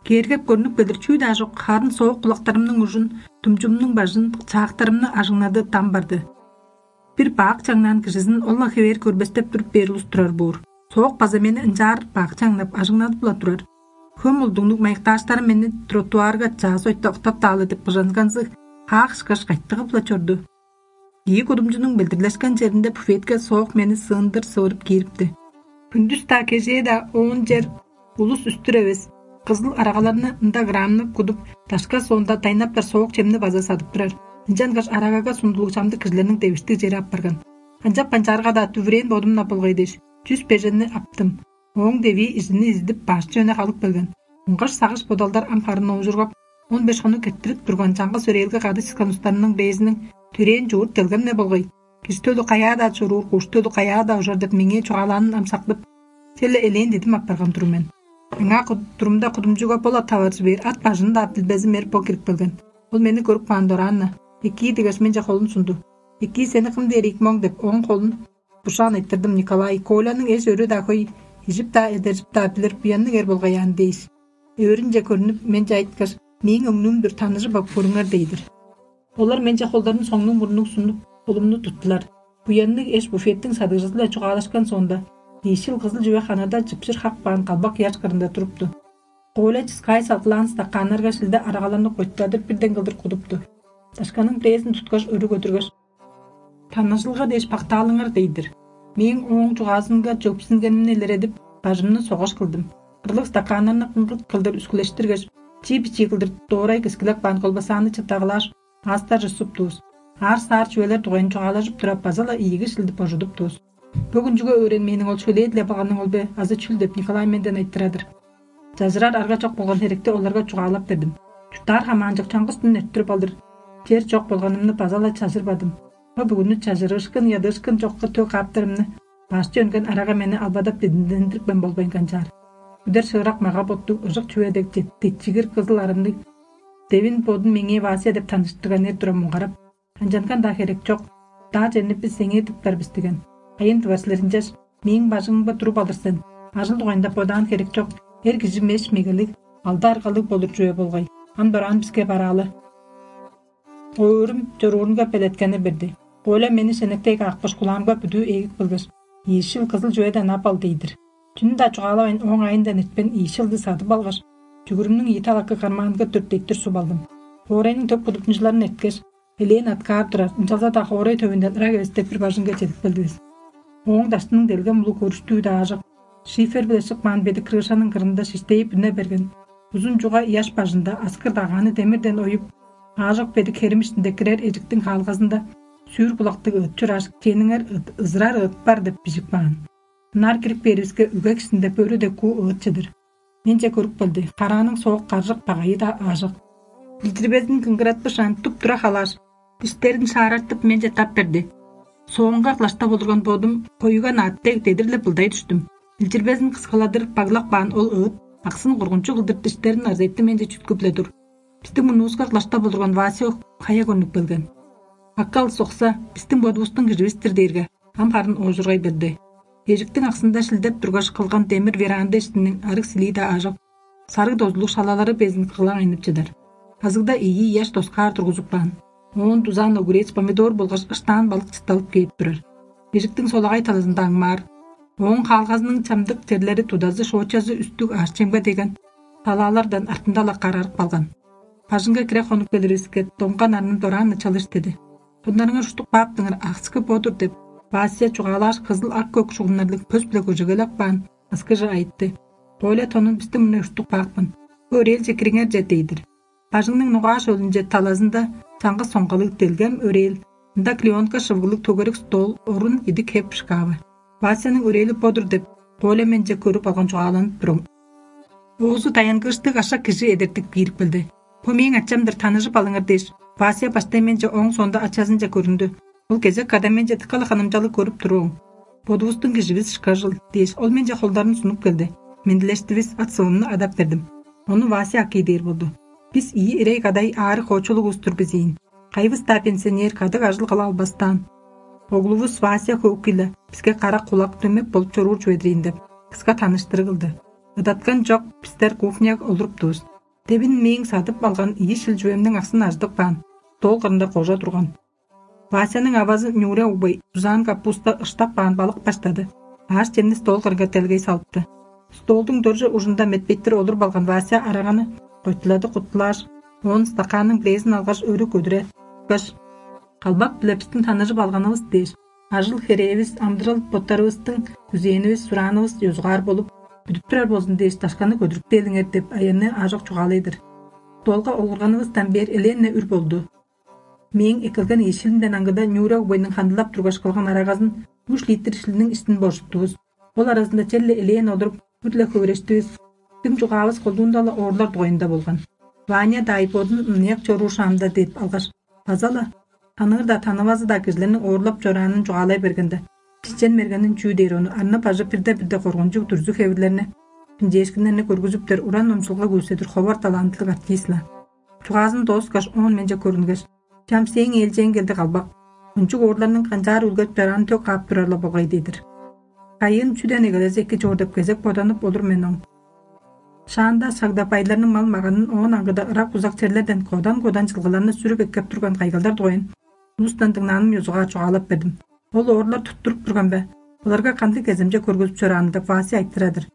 Кээргеп көрнүп келир чүү-даа чок, харын соок кулактарымның ужун, думчумнуң бажын, чаактарымны ажыңнады дам барды. Бир бак чаңнаан кижизин ол-ла хевээр көрбестеп туруп бээр улус турар боор. Соок база мени ынчаар бак чаңнап, ажыңнадып-ла турар. Хөм улдуңнуг майыктааштарым мени тротуарга чаа сойта октап-даалы деп быжанганзыг хаак ышкаш кайтыгып-ла чорду. Ийи кудумчунуң билдирлешкен черинде буфетке соок мени сыындыр сывырып киирипти. Хүндүс-даа, кежээ-даа оон чер улус үстүр эвес. Кызыл арагаларны ында грамнап кудуп, дашка соонда дайнаптар соок чемни база садып турар. Ынчангаш арагага сундулуг чамдык кижилерниң девиштиг чери апарган. Канчап канчаарга-даа дүвүрээн бодум-на болгай дээш, чүс беженни аптым. Ооң девии изини изидип, башчы өне халып келген. Ыңгаш сагыш бодалдар ам харын оожургап, он беш хонук эрттирип турган чаңгыс өрээлге кады чыскан устарымның бээзиниң төрээн чуурт делгем-не болгай. Кижи төлү каяа-даа чоруур, куш төлү каяа-даа ужар деп меңээ чугаалаанын ам сактып, Черле элээн дидим апарган тур мен. Аңаа турумда кудумчуга бола таваржы бээр ат бажын-даа билбезим эр бо кирип келген. Ол мени көрүп каан дораан-на, экии дигеш менче холун сунду. «Экии, сени кым дээр ийик моң?» — деп, ооң холун бушаан айтырдым. Николай: «Коляның эш өрү-даа хөй, ижип-даа, эдержип-даа билир, буянныг эр болгай аан» — дээш, өөрүнче көрнүп, менче айткаш: «Мээң өңнүүм-дүр, таныжып ап көрүңер» — дейдир. Олар менче холдарын соңнуг-мурнуг сунуп, холумну туттулар. Буянныг эш буфеттиң садыгжызы-биле чугаалашкан соонда, ийишил кызыл чүве ханада чыпчыр хак баан калбак ыяш кырында турупту. Коля чыскаай салгылаан стаканнарга шилде арагаларны койтпадыр бирден кылдыр кудупту. Дашканың бирээзин туткаш, өрү көдүргеш: «Таныжылга дээш бактаалыңар» — дейдир. Мээң ооң чугаазынга чөпсүнгенимни илередип, бажымны согаш кылдым. Кырлыг стаканнарны кыңгыт кылдыр үскүлештиргеш, чии-бичии кылдыр доорай кискилеп каан колбасаны чыптагалааш, аастарже суптувус. Аар-саар чүвелер дугайын чугаалажып тура, база-ла ийиги шилдип божудуптувус. Бөгүн чүге өөренмээниң ол шөлээ-диле баганың ол бе азы чүл деп Николай менден айтырар-дыр. Чажырар арга чок болган херекти оларга чугаалап бердим. Чурттаар хамаанчок чаңгыс дүн эрттирип алдыр чер чок болганымны база-ла чажырбадым. Бо бүгүнү чажырыышкын, ядыышкын чокка төг кааптарымны башчы өнген арага мени албадап дидиндендирипкен болбайн канчаар. Үдер шыырак мага-боттуг ыжык чүве дег детчигир кызыл арымныг девин бодун меңээ Вася деп таныштырган эр тура муңгарап: «Ынчанган-даа херек чок. Даа чемни бис эңээ дыптар бис» — деген. «Кайын дывар силер ынчаш? Мээң бажыңымга туруп алыр сен. Ажыл дугайында бодаан херек чок. Эр кижи меш мегелиг, алды аргалыг болур чүве болгай. Ам дораан биске бараалы». Оорум чоруурунга белеткени берди. Коля мени шенектей каапкаш, кулаамга бүдүү эгик билгеш: «Ийишил кызыл чүведен ап ал» — дейдир. Чүнү-даа чугаалавайн, ооң айындан эртпейн ийишилди садып алгаш, чүгүрүмнүң ийи талакы кармаанга дүрт эттир суп алдым. Хоорайның төк будуктунчуларын эрткеш, элээн аткаар турар, ынчалза-даа хоорай төвүнден ырак эвес деп бир бажыңга чедип келдивис. Ооң даштының делгем улуг өрүштүү-даа аажок, шифер-биле шыпкаан бедик крышаның кырында шиштейип үне берген. Узун чуга ыяш бажында аскыр дагааны демирден оюп, аажок бедик херим иштинде кирер эжиктиң хаалгазында сүүр кулактыг ыт чурааш, кениңер ыт, ызырар ыт бар деп бижип каан. Ынаар кирип бээривиске, үге кижинде бөрү дег куу ыт чыдыр. Менче көрүп келди. Карааның соок каржык багайы-даа аажок. Билдирбезин кыңгыратпышаан, туп-тура халааш, диштерин шаарартып, менче тап берди. Соонга кылаштап олурган бодум коюга наат дег дедир-ле былдай дүштүм. Билдирбезин кыскаладыр баглап каан ол ыт аксын коргунчуг кылдыр диштерин ырзайтты менче чүткүп-ле тур. Бистиң мурнувуска кылаштап олурган Вася хая көрнүп келген. Аккал сокса, бистиң бодувустуң киживис-тир дээрге, ам харын оожургай берди. Эжиктиң аксында шилдеп тургаш кылган демир веранда иштиниң арыг силии-даа аажок, сарыг дозулуг шалалары безин кыглаң айнып чыдар. Азыгда ийи ыяш доскаар тургузуп каан. Оон дузаан огурец, помидор болгаш ыштаан балык чытталып кээп турар. Эжиктиң солагай талазында аңмаар. Ооң хаалгазының чамдык черлери, тудазы, шоочазы үстүг аъш-чемге деген талаалардан артында-ла карарып калган. Бажыңга кире хонуп келиривиске, доңган арным дораан-на чалыш деди. Бодунарыңар уштуп кааптыңар, аксы бо-дур деп, Вася чугаалааш, кызыл ак-көк шугумнарлыг пөс-биле көжегелеп каан, ыскыже айтты. Коля тонун бистиң мурнай уштуп каапкан. Бо өрээлче кириңерже дейдир. Бажыңның ногааш өлүнче талазында чаңгыс соңгалыг делгем өрээл, ында клеенка шывыглыг төгерик стол, орун идик хеп шкавы. Васяның өрээли бо-дур деп, Коля менче көрүп алган чугааланып турум. Оозу даянгыыштыг ашак кижи эдертип киирип келди. «Бо мээң ачам-дыр, таныжып алыңар» дээш, Вася баштай менче, ооң соонда ачазынче көрүндү. Ол кезек када менче дыка-ла ханымчалыг көрүп туруум. «Бодувустуң киживис ышкажыл» дээш, ол менче холдарын сунуп келди. Мендилештивис, ат-сывымны адап бердим. Ону Вася акый дээр болду. Бис ийи ирей кадай аарыг хоочулуг улус-тур бис ийин. Кайывыс-даа пенсионер, кадык ажыл кыла албастаан. Оглувус Вася хөөгү-ле биске кара кулак, дөмек болуп чоруур чүве-дир ийин деп, кыска таныштырыг кылды. Ыдаткан чок, бистер кухняга олуруптувус. Девин мээң садып алган ийи шил чүвемниң аксын ажыдып каан, стол кырында кожа турган. Васяның авазы Нюря угбай дузаан капуста, ыштап каан балык баштады. Аъш-чемни стол кырынга делгей салыпты. Столдуң дөрже ужунда метпеттир олуруп алган Вася араганы койтулады-куттулааш, оон стаканның бирээзин алгаш, өрү көдүрүп кааш: «Калбак-биле бистиң таныжып алганывыс дээш, ажыл-херээвис, амыдырал-боттарывыстың күзээнивис, сураанывыс ёзугаар болуп, бүдүп турар болзун дээш, дашканы көдүрүптээлиңер» — деп, аянныы аажок чугаалай-дыр. Столга олурганывыстан бээр элээн-не үр болду. Мээң эккелген ийи шилимден аңгыда Нюря угбайның хандылап тургаш кылган арагазын үш литр шилиниң иштин божуттувус. Ол аразында черле элээн олуруп, үр-ле хөвүрештивис. Дым чугаавыс колдуунда-ла оорлар дугайында болган. Ваня даай бодун мынаяк чоруур шаамда деп алгаш, база-ла таныыр-даа, танывазы-даа кижилерниң оорлап чораанын чугаалай бергенде, Чичен мергенин чүү дээр ону, арны бажы бирде-бирде коргунчуг дүрзү хевирлерни, хинчээшкиннерни көргүзүптер уран номчулга күүседир ховар талантылыг артист-ла. Чугаазын дооскаш, оон менче көрүнгеш: «Чам сээң ээлчээң келди, калбак. Кончуг оорларның канчаар үлгеп чораанын төк каап турар-ла болгай» — дедир. Кайын чүден эгелезе эки чоор деп кезек боданып олур мен оң. Шаанда шагда байларның мал-маганын, оон аңгыда ырак-узак черлерден кодан-кодан чылгыларны сүрүп эккеп турган кайгалдар дугайын улустан дыңнааным ёзугаар чугаалап бердим. Ол оорлар туттуруп турган бе? Оларга кандыг кеземче көргүзүп чораанын деп Вася айтырар-дыр.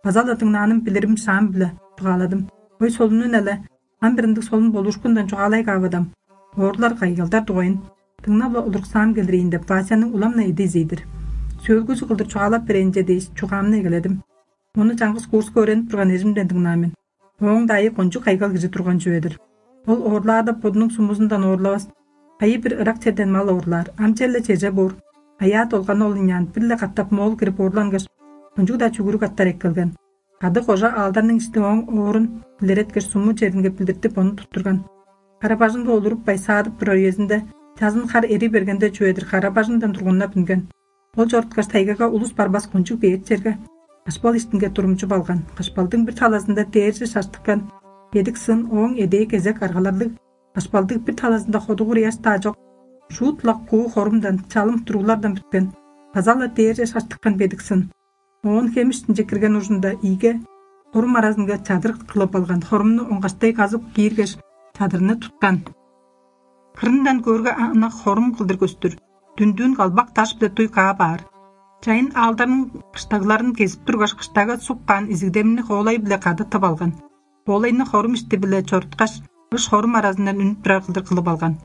База-ла дыңнааным билирим шаам-биле чугааладым. Ой солунун эле, ам бир ындыг солун болуушкундан чугаалай каавадам. Оорлар кайгалдар дугайын дыңнап-ла олуруксаам келир ийин деп Васяның улам-на эди изей-дир. Сөөлгүзү кылдыр чугаалап берейинче дээш, чугаамны эгеледим. Ону чаңгыс курска өөренип турган эжимден дыңнаан мен. Ооң-даа айы кончуг кайгал кижи турган чүве-дир. Ол оорлаарда бодунуң сумузундан оорлавас, кайы-бир ырак черден мал оорлаар, ам черле чеже боор. Аяа долганы ол ыняан бир-ле катап моол кирип оорлангаш, кончуг-даа чүгүрүк аттар эккелген. Кады кожа аалдарның ишти ооң оорун илереткеш, суму черинге билдиртип, ону туттурган. Кара-бажыңга олуруппай саадып турар үезинде, чазын хар эри бергенде чүве-дир, кара-бажыңдан тургуннап үнген. Ол чоруткаш, тайгага улус барбас кончуг бээр черге кашпал иштинге турумчуп алган. Кашпалдың бир талазында дээрже шаштыккан бедик сын, ооң эдээ кезек аргаларлыг, кашпалдың бир талазында ходугур ыяш-даа чок, шуут-ла куу хорумдан, чалым туруулардан бүткен, база-ла дээрже шаштыккан бедик сын. Оон хем иштинче кирген ужунда ийиге хорум аразынга чадыр кылып алган, хорумну оңгаштай казып кииргеш, чадырны туткан. Кырындан көөрге, ана хорум кылдыр көстүр, дүндүүн калбак даш-биле дуй каап аар. Чайын аалдарның кыштагларын кезип тургаш, кыштага суп каан изигдемни хоолай-биле кады тып алган. Хоолайны хорум ишти-биле чоруткаш, ыш хорум аразындан үнүп турар кылдыр кылып алган.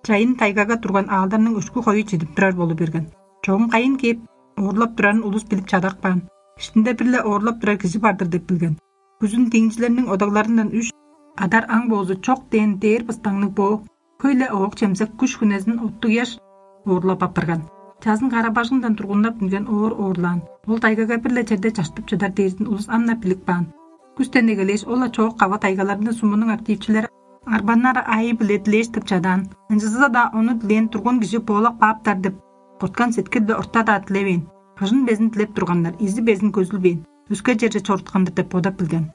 Чайын тайгага турган аалдарның өшкү хою чидип турар болу берген. Чогум кайын кээп оорлап турарын улус билип чадап каан. Иштинде бир-ле оорлап турар кижи бар-дыр деп билген. Күзүн диңчилерниң одагларындан үш адар аң боозу чок дээн дээр быстаңныг боо, хөй-ле оок-чемзек, күш-хүнезин оттуг ыяш оорлап апарган. Чазын кара-бажыңдан тургуннап үнген оор оорлаан. Ол тайгага бир-ле черде чаштып чыдар дээрзин улус ам-на билип каан. Күстен эгелээш, ол-ла чоок кава тайгаларында сумунуң активчилери арбаннар аайы-биле дилээш тып чадаан. Ынчызы-даа ону дилээн турган кижи боолап кааптар деп, корткан сеткил-биле орта-даа дилевээн. Кыжын безин дилеп турганнар, изи безин көзүлбээн, өске черже чоруткан-дыр деп бодап билген.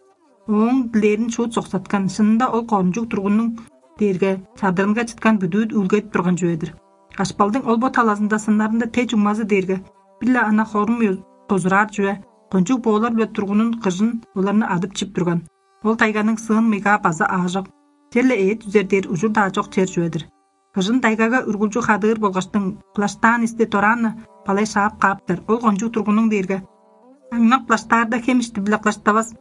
Ооң дилээрин шуут соксаткан. Шынында ол кончуг тургуннуң дээрге чадырынга чыткан бүдүү үүлгедип турган чүве-дир. Кашпалдың ол бо талазында сыннарында те чуңмазы дээрге бир-ле ана хорум ю-, козураар чүве, кончуг боолар-биле тургунун кыжын оларны адып чип турган. Ол тайганың сыын мыйгаа база аажок, черле эът үзер дээр ужур-даа чок чер чүве-дир. Кыжын тайгага үргүлчү хадыыр болгаштың, кылаштаан исти дораан-на балай шаап кааптар. Ол кончуг тургунуң дээрге аңнап кылаштаарда, хем ишти-биле кылаштавас,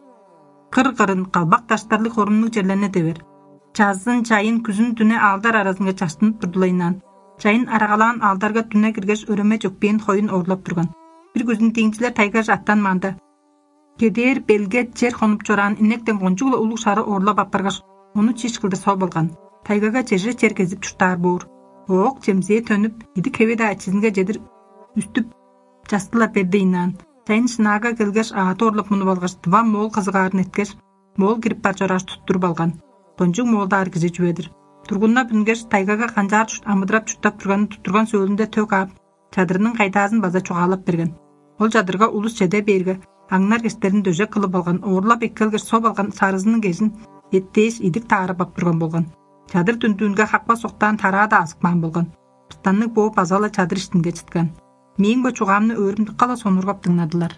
кыр-кырын калбак даштарлыг хорумнуг черлерни девер. Чазын, чайын, күзүн дүне аалдар аразынга чаштынып турдулайнаан. Чайын арагалаан аалдарга дүне киргеш, өреме чөкпээн хоюн оорлап турган. Бир күзүн диңчилер тайгаже аттанмаанда, кедээр белге чер хонуп чораан инектен кончуг-ла улуг шары оорлап апаргаш, ону чиш кылдыр соп алган. Тайгага чеже чер кезип чурттаар боор. Оок-чемзээ төнүп, идик-хеви-даа ачызынга чедир үстүп, часты-ла бердейнаан. Чайын шынаага келгеш, аът оорлап мунуп алгаш, тыва моол кызыгаарын эрткеш, моол кирип бар чорааш, туттуруп алган. Кончуг моолдаар кижи чүве-дир. Тургуннап үнгеш, тайгага канчаар чурт-, амыдырап чурттап турганын туттурган сөөлүнде төк аап, чадырының кайдаазын база чугаалап берген. Ол чадырга улус чеде бээрге, аңнар кештерин дөжек кылып алган, оорлап эккелгеш соп алган сарызының кежин эттээш, идик таарып ап турган болган. Чадыр дүндүүнге хакпас октаан тараа-даа азып каан болган. Быстанныг бооп база-ла чадыр иштинге чыткан. Мээң бо чугаамны өөрүм дыка-ла сонургап дыңнадылар.